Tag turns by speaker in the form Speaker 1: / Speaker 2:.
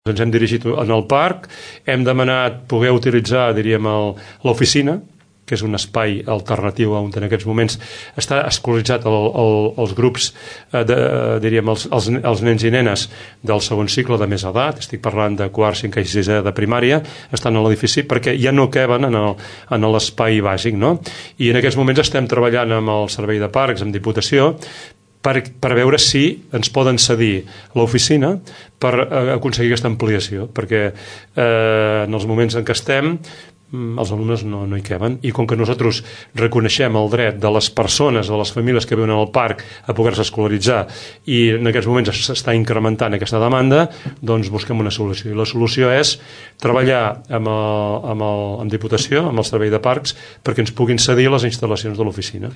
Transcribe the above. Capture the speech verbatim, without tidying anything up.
Speaker 1: Ens hem dirigit en el parc, hem demanat poder utilitzar, diríem, l'oficina, que és un espai alternatiu on en aquests moments està escolaritzat el, el, els grups, eh, de, diríem, els, els, els nens i nenes del segon cicle de més edat, estic parlant de quart, cinquè i sisè de primària, estan a l'edifici perquè ja no queben en el, en l'espai bàsic, no? I en aquests moments estem treballant amb el Servei de Parcs, amb Diputació, Per, per veure si ens poden cedir l'oficina per eh, aconseguir aquesta ampliació, perquè eh, en els moments en què estem els alumnes no, no hi queben, i com que nosaltres reconeixem el dret de les persones, de les famílies que viuen al parc a poder-se escolaritzar, i en aquests moments s'està incrementant aquesta demanda, doncs busquem una solució, i la solució és treballar amb, el, amb, el, amb Diputació, amb el Servei de Parcs, perquè ens puguin cedir les instal·lacions de l'oficina.